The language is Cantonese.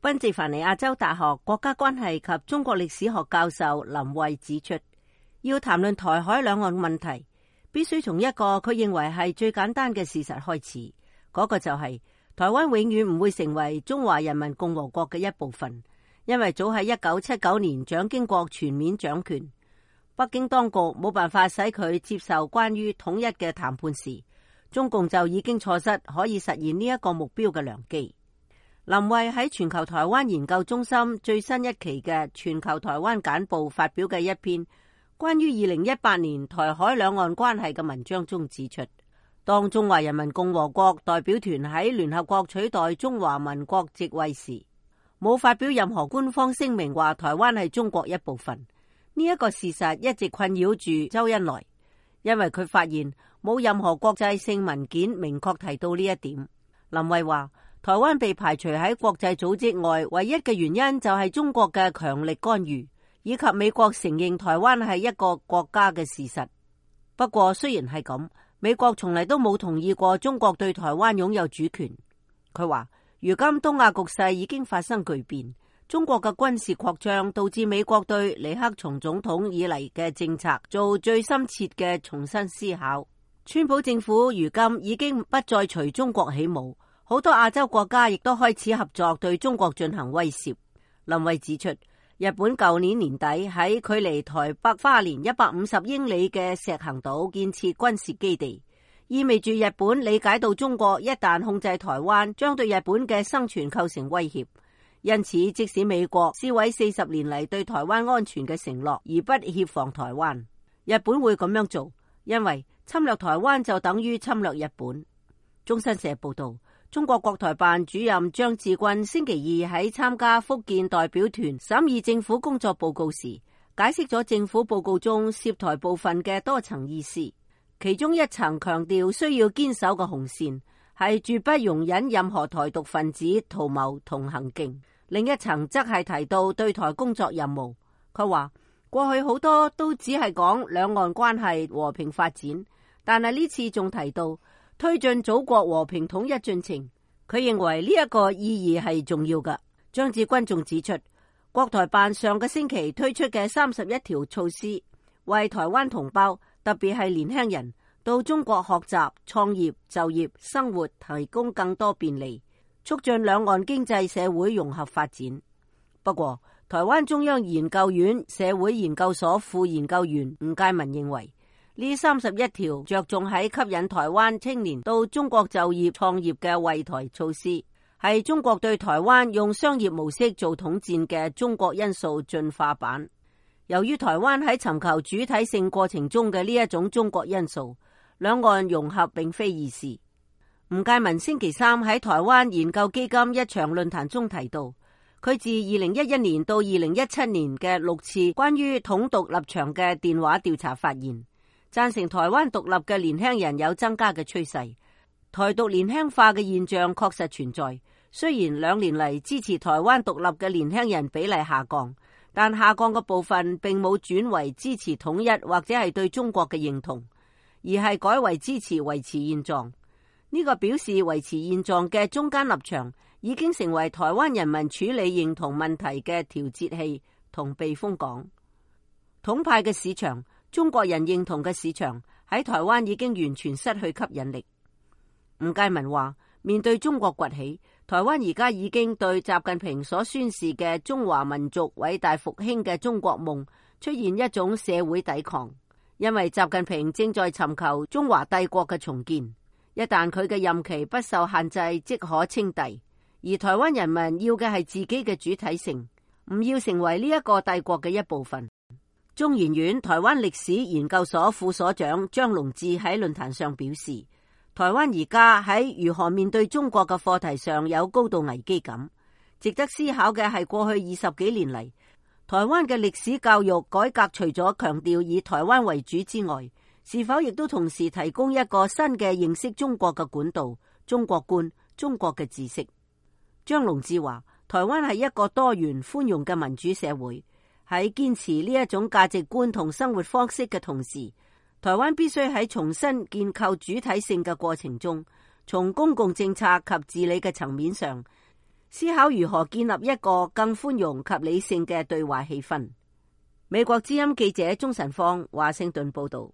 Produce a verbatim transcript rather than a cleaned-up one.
賓夕凡尼亞州大學國家關係及中國歷史學教授林慧指出，要談論台海兩岸問題，必須從一個佢認為係最簡單嘅事實開始，嗰、那個就係、是、台灣永遠唔會成為中華人民共和國嘅一部分，因為早喺一九七九年蔣經國全面掌權，北京當局冇辦法使佢接受關於統一嘅談判時，中共就已經錯失可以實現呢一個目標嘅良機。林慧喺全球台灣研究中心最新一期嘅全球台灣簡報發表嘅一篇關於二零一八年台海兩岸關係嘅文章中指出，當中華人民共和國代表團喺聯合國取代中華民國席位時，冇發表任何官方聲明話台灣係中國一部分。呢、這、一個事實一直困擾住周恩來，因為佢發現冇任何國際性文件明確提到呢一點。林慧話，台灣被排除喺國際組織外，唯一嘅原因就係中國嘅強力干預，以及美國承認台灣係一個國家嘅事實。不過雖然係咁，美國從嚟都冇同意過中國對台灣擁有主權。佢話，如今東亞局勢已經發生巨變，中國嘅軍事擴張導致美國對尼克松總統以嚟嘅政策做最深切嘅重新思考。川普政府如今已經不再隨中國起舞。好多亞洲國家亦都開始合作對中國進行威懾。林慧指出，日本舊年年底喺距離台北花蓮一百五十英里嘅石垣島建設軍事基地，意味住日本理解到中國一旦控制台灣，將對日本嘅生存構成威脅。因此，即使美國撕毀四十年嚟對台灣安全嘅承諾，而不協防台灣，日本會咁樣做，因為侵略台灣就等於侵略日本。中新社報道，中國國台辦主任張志軍星期二喺參加福建代表團審議政府工作報告時，解釋咗政府報告中涉台部分嘅多層意思。其中一層強調需要堅守嘅紅線係絕不容忍任何台獨分子圖謀同行徑，另一層則係提到對台工作任務。佢話過去好多都只係講兩岸關係和平發展，但係呢次仲提到推進祖國和平統一進程，佢認為呢一個意義係重要嘅。張志軍仲指出，國台辦上個星期推出嘅三十一條措施，為台灣同胞，特別係年輕人到中國學習、創業、就業、生活提供更多便利，促進兩岸經濟社會融合發展。不過，台灣中央研究院社會研究所副研究員吳介民認為，呢三十一條着重喺吸引台灣青年到中國就業創業嘅惠台措施，係中國對台灣用商業模式做統戰嘅中國因素進化版。由於台灣喺尋求主體性過程中嘅呢一種中國因素，兩岸融合並非易事。吳介民星期三喺台灣研究基金一場論壇中提到，佢自二零一一年到二零一七年嘅六次關於統獨立場嘅電話調查發現，贊成台灣獨立嘅年輕人有增加嘅趨勢，台獨年輕化嘅現象確實存在。雖然兩年嚟支持台灣獨立嘅年輕人比例下降，但下降嘅部分並冇轉為支持統一或者係對中國嘅認同，而係改為支持維持現狀。呢個表示維持現狀嘅中間立場已經成為台灣人民處理認同問題嘅調節器同避風港。統派嘅市場，中國人認同嘅市場喺台灣已經完全失去吸引力。吳介民話，面對中國崛起，台灣而家已經對習近平所宣示嘅中華民族偉大復興嘅中國夢出現一種社會抵抗，因為習近平正在尋求中華帝國嘅重建。一旦佢嘅任期不受限制，即可稱帝。而台灣人民要嘅係自己嘅主體性，唔要成為呢一個帝國嘅一部分。中研院台灣歷史研究所副所長張龍志喺論壇上表示，台灣而家喺如何面對中國嘅課題上有高度危機感。值得思考嘅係過去二十幾年嚟，台灣嘅歷史教育改革除咗強調以台灣為主之外，是否亦都同時提供一個新嘅認識中國嘅管道、中國觀、中國嘅知識。張龍志話，台灣係一個多元寬容嘅民主社會，喺堅持呢一種價值觀同生活方式嘅同時，台灣必須喺重新建構主體性嘅過程中，從公共政策及治理嘅層面上，思考如何建立一個更寬容及理性嘅對話氣氛。美國之音記者鍾晨芳華盛頓報道。